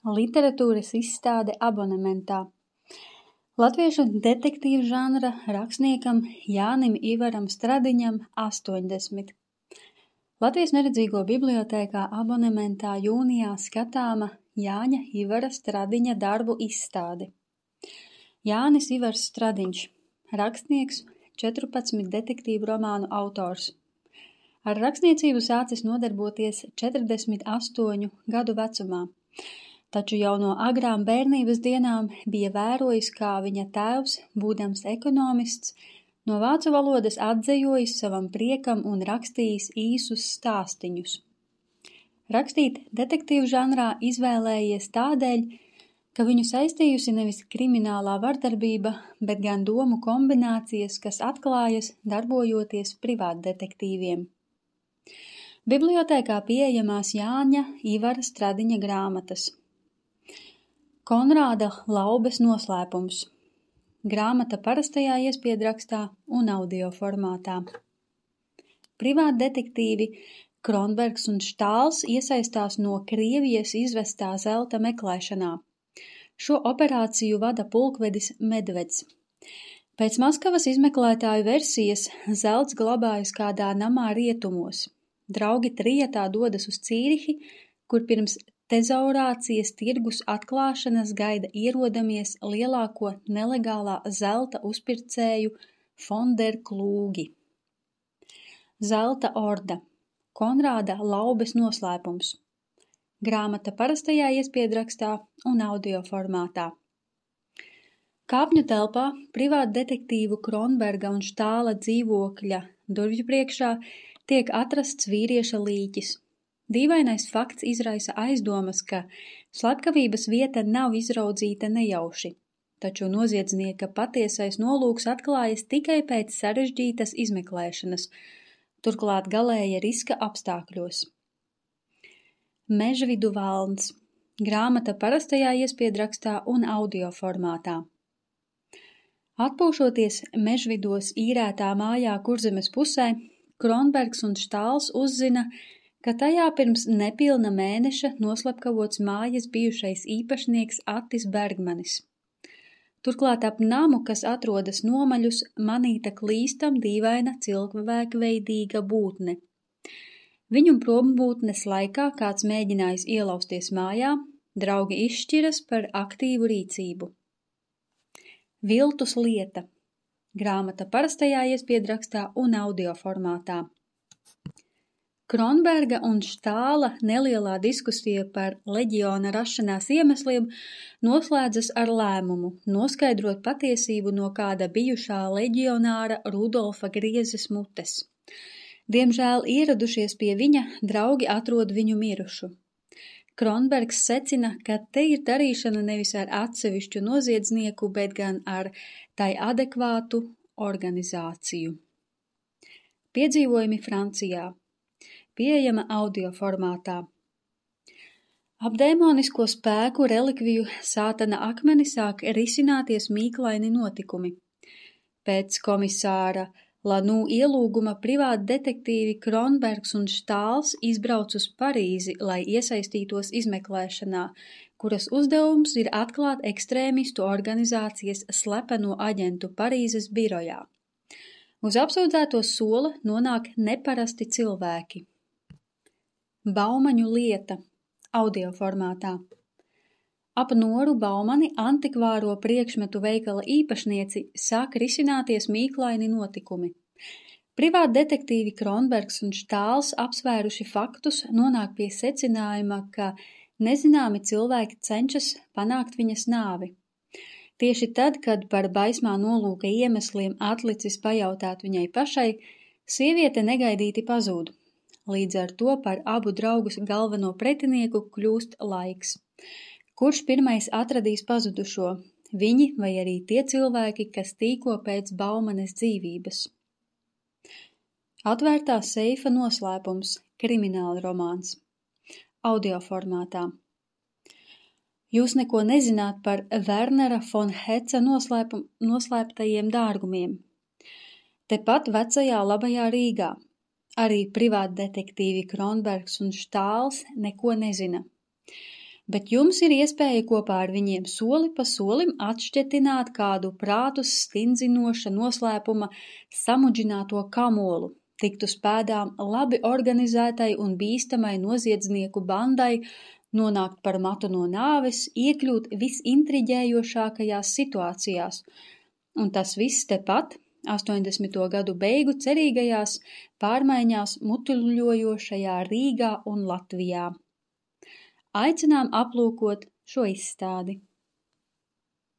Literatūras izstāde abonementā. Latviešu detektīvu žanra rakstniekam Jānim Ivaram Stradiņam 80. Latvijas neredzīgo bibliotēkā abonementā jūnijā skatāma Jāņa Ivara Stradiņa darbu izstāde. Jānis Ivars Stradiņš, rakstnieks, 14 detektīvu romānu autors. Ar rakstniecību sācis nodarboties 48 gadu vecumā, taču jau no agrām bērnības dienām bija vērojis, kā viņa tēvs, būdams ekonomists, no vācu valodas atzejojis savam priekam un rakstījis īsus stāstiņus. Rakstīt detektīvu žanrā izvēlējies tādēļ, ka viņu saistījusi nevis kriminālā vardarbība, bet gan domu kombinācijas, kas atklājas darbojoties privātdetektīviem. Bibliotēkā pieejamās Jāņa Ivara Stradiņa grāmatas. Konrāda Laubes noslēpums. Grāmata parastajā iespiedrakstā un audio formātā. Privātdetektīvi Kronbergs un Štāls iesaistās no Krievijas izvestā zelta meklēšanā. Šo operāciju vada pulkvedis Medveds. Pēc Maskavas izmeklētāju versijas zelts glabājas kādā namā rietumos. Draugi trietā dodas uz Cīrihi, kur pirms tezaurācijas tirgus atklāšanas gaida ierodamies lielāko nelegālā zelta uzpircēju von der Klūgi. Zelta orda. Konrāda Laubes noslēpums. Grāmata parastajā iespiedrakstā un audio formātā. Kāpņu telpā privātdetektīvu Kronberga un Štāla dzīvokļa durvju priekšā tiek atrasts vīrieša līķis. Dīvainais fakts izraisa aizdomas, ka slepkavības vieta nav izraudzīta nejauši, taču noziedznieka patiesais nolūks atklājas tikai pēc sarežģītas izmeklēšanas, turklāt galēja riska apstākļos. Mežvidu valns. Grāmata parastajā iespiedrakstā un audio formātā. Atpūšoties Mežvidos īrētā mājā Kurzemes pusē, Kronbergs un Štāls uzzina, ka tajā pirms nepilna mēneša noslepkavots mājas bijušais īpašnieks Attis Bergmanis. Turklāt ap namu, kas atrodas nomaļus, manīta klīstam dīvaina cilvēkveidīga būtne. Viņu prombūtnes laikā kāds mēģinājis ielausties mājā, draugi izšķiras par aktīvu rīcību. Viltus lieta. Grāmata parastajā iespiedrakstā un audio formātā. Kronberga un Štāla nelielā diskusija par leģiona rašanās iemesliem noslēdzas ar lēmumu noskaidrot patiesību no kāda bijušā leģionāra Rudolfa Griezes mutes. Diemžēl ieradušies pie viņa, draugi atrod viņu mirušu. Kronbergs secina, ka te ir darīšana nevis ar atsevišķu noziedznieku, bet gan ar tai adekvātu organizāciju. Piedzīvojumi Francijā. Pieejama audio formātā. Ap dēmonisko spēku relikviju sātana akmeni sāk risināties mīklaini notikumi. Pēc komisāra Lanū ielūguma privātdetektīvi Kronbergs un Štāls izbrauc uz Parīzi, lai iesaistītos izmeklēšanā, kuras uzdevums ir atklāt ekstrēmistu organizācijas slepeno aģentu Parīzes birojā. Uz apsūdzēto sola nonāk neparasti cilvēki. Baumaņu lieta. Audio formātā. Ap Noru Baumani antikvāro priekšmetu veikala īpašnieci sāk risināties mīklaini notikumi. Privātdetektīvi Kronbergs un Štāls apsvēruši faktus nonāk pie secinājuma, ka nezināmi cilvēki cenšas panākt viņas nāvi. Tieši tad, kad par baismā nolūka iemesliem atlicis pajautāt viņai pašai, sieviete negaidīti pazūd. Līdz ar to par abu draugus galveno pretinieku kļūst laiks. Kurš pirmais atradīs pazudušo, viņi vai arī tie cilvēki, kas tīko pēc Baumanes dzīvības? Atvērtā seifa noslēpums. Krimināla romāns. Audio formātā. Jūs neko nezināt par Wernera von Heca noslēptajiem dārgumiem. Tepat vecajā labajā Rīgā. Arī privātdetektīvi Kronbergs un Štāls neko nezina. bet jums ir iespēja kopā ar viņiem soli pa solim atšķetināt kādu prātus stindzinoša noslēpuma samudžināto kamolu, tikt uz pēdām labi organizētai un bīstamai noziedznieku bandai, nonākt par matu no nāves, iekļūt visintriģējošākajās situācijās. Un tas viss tepat 80. gadu beigu cerīgajās pārmaiņās mutuļojošajā Rīgā un Latvijā. Aicinām aplūkot šo izstādi.